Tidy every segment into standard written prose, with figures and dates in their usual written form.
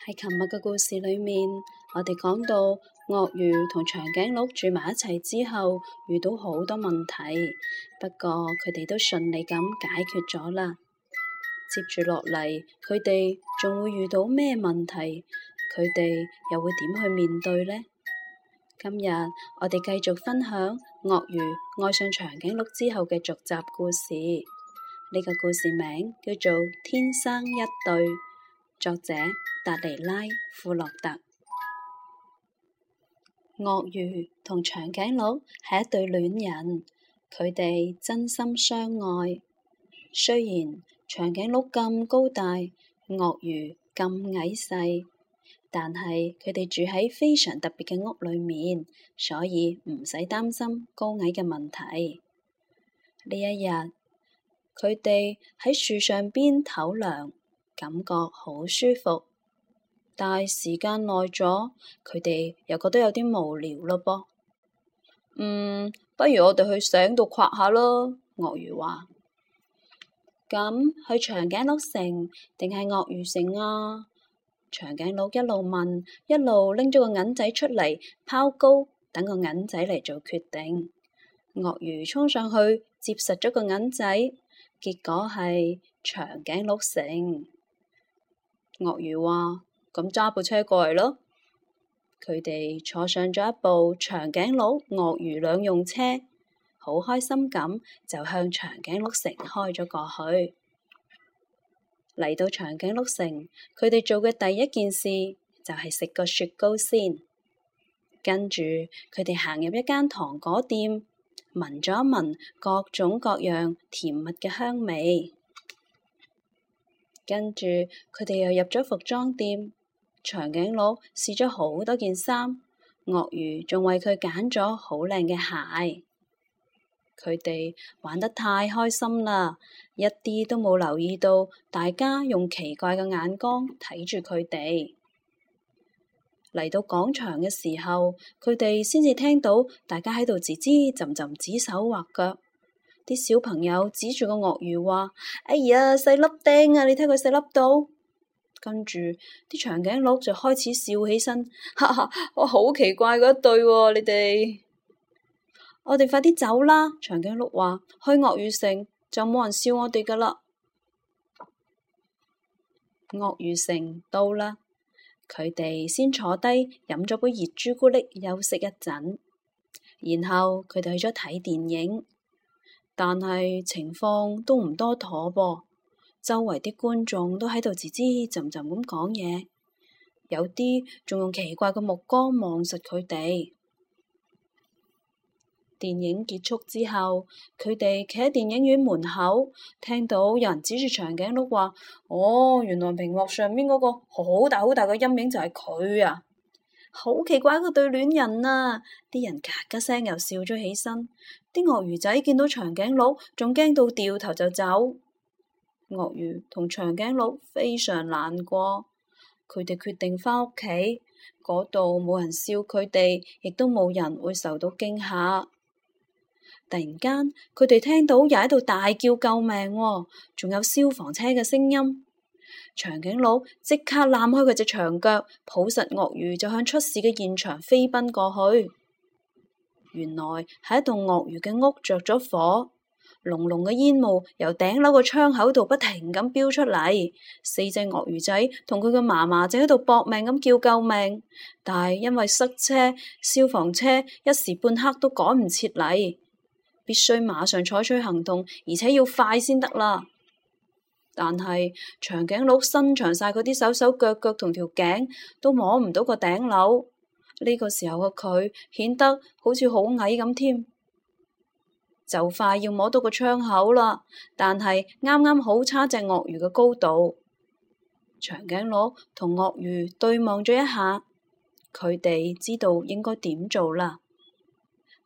喺琴日嘅故事裏面，我哋講到鱷魚同長頸鹿住埋一齊之後，遇到好多問題，不過佢哋都順利咁解決咗啦。接住落嚟，佢哋仲會遇到咩問題？佢哋又會點去面對呢？今日我哋繼續分享鱷魚愛上長頸鹿之後嘅續集故事。呢個故事名叫做《天生一對》，作者達尼拉·庫洛特。鱷魚同長頸鹿係一對戀人，佢哋真心相愛。雖然長頸鹿咁高大，鱷魚咁矮細，但係佢哋住喺非常特別嘅屋裏面，所以唔使擔心高矮嘅問題。呢一日，佢哋喺樹上邊唞涼，感覺好舒服。但係時間耐咗，佢哋又覺得有啲無聊咯噃。不如我哋去井度掘下咯。鱷魚話：咁去長頸鹿城定係鱷魚城啊？長頸鹿一路問，一路拎咗個銀仔出嚟拋高，等個銀仔嚟做決定。鱷魚衝上去接實咗個銀仔，結果係長頸鹿城。鱷魚話：咁揸部車過嚟咯。佢哋坐上咗一部長頸鹿、鱷魚兩用車，好開心咁就向長頸鹿城開咗過去。嚟到長頸鹿城，佢哋做嘅第一件事就係食個雪糕先。跟住佢哋行入一間糖果店，聞咗一聞各種各樣甜蜜嘅香味。跟住佢哋又入咗服裝店，長頸鹿試咗好多件衫，鱷魚仲為佢揀咗好靚嘅鞋。佢哋玩得太開心啦，一啲都冇留意到大家用奇怪嘅眼光睇住佢哋。嚟到廣場嘅時候，佢哋先至聽到大家喺度吱吱浸浸指手畫腳。啲小朋友指住個鱷魚話：哎呀，細粒釘啊！你睇佢細粒到。跟住啲長頸鹿就開始笑起身，哈哈！我好奇怪嗰一對喎，你哋。我哋快啲走啦！長頸鹿話：去鱷魚城就冇人笑我哋噶啦。鱷魚城到啦，佢哋先坐低飲咗杯熱朱古力休息一陣，然後佢哋去咗睇電影，但係情況都唔多妥噃。周圍啲觀眾都喺度吱吱浸浸咁講嘢，有啲仲用奇怪嘅目光望實佢哋。電影結束之後，佢哋企喺電影院門口，聽到有人指住長頸鹿話：哦，原來屏幕上面嗰個好大好大嘅陰影就係佢啊！好奇怪嗰對戀人啊！啲人咔咔聲又笑咗起身。啲鱷魚仔見到長頸鹿，仲驚到掉頭就走。鱷魚同長頸鹿非常難過，佢哋決定返屋企，嗰度冇人笑佢哋，亦都冇人會受到驚嚇。突然間，佢哋聽到又喺度大叫救命喎，仲有消防車嘅聲音。長頸鹿即刻攬開佢隻長腳，抱實鱷魚就向出事嘅現場飛奔過去。原來係一棟鱷魚嘅屋着咗火，濃濃嘅煙霧由頂樓個窗口度不停咁飆出嚟。4隻鱷魚仔同佢嘅嫲嫲正喺度搏命咁叫救命，但係因為塞車，消防車一時半刻都趕唔切嚟，必須馬上採取行動，而且要快先得啦。但係長頸鹿伸長晒佢啲手手腳腳同條頸，都摸唔到個頂樓。呢個時候嘅佢顯得好似好矮咁添。就快要摸到個窗口啦，但係啱啱好差隻鱷魚嘅高度。長頸鹿同鱷魚對望咗一下，佢哋知道應該點做啦。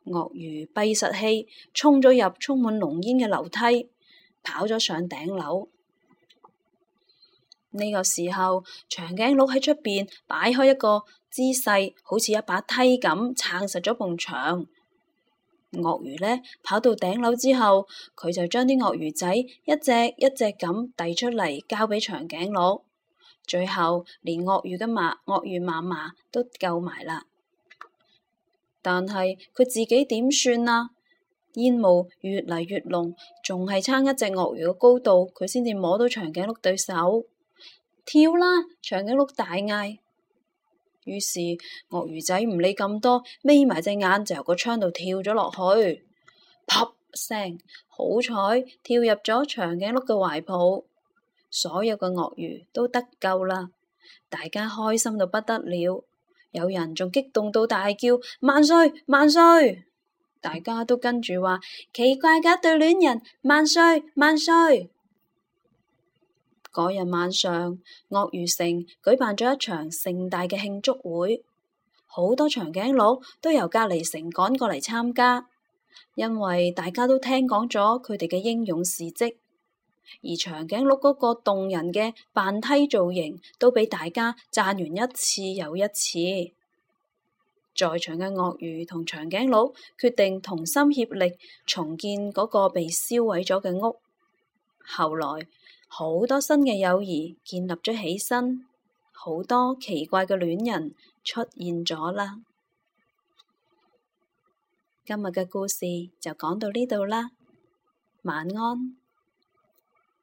鱷魚閉實氣，衝咗入充滿濃煙嘅樓梯，跑咗上頂樓。呢個時候，長頸鹿喺出邊擺開一個姿勢，好似一把梯咁撐實咗埲牆。鱷魚呢，跑到頂樓之後，佢就將啲鱷魚仔一隻一隻咁遞出嚟，交俾長頸鹿。最後連鱷魚嫲嫲都救埋啦。但係佢自己點算啊？煙霧越嚟越濃，仲係差一隻鱷魚嘅高度，佢先至摸到長頸鹿對手。跳啦！長頸鹿大嗌。於是鱷魚仔唔理咁多，眯埋隻眼就由個窗度跳咗落去。啪聲，好彩跳入咗長頸鹿嘅懷抱，所有嘅鱷魚都得救啦！大家開心到不得了，有人仲激動到大叫萬歲萬歲！大家都跟住話奇怪嘅一對戀人，萬歲萬歲！嗰日晚上，鱷魚城舉辦咗一場盛大嘅慶祝會，好多長頸鹿都由隔離城趕過嚟參加，因為大家都聽講咗佢哋嘅英勇事跡，而長頸鹿嗰個動人嘅扮梯造型都俾大家讚完一次又一次。在場嘅鱷魚同長頸鹿決定同心協力重建嗰個被燒毀咗嘅屋。後來好多新嘅友誼建立咗起身，好多奇怪嘅戀人出現咗啦。今日嘅故事就講到呢度啦，晚安。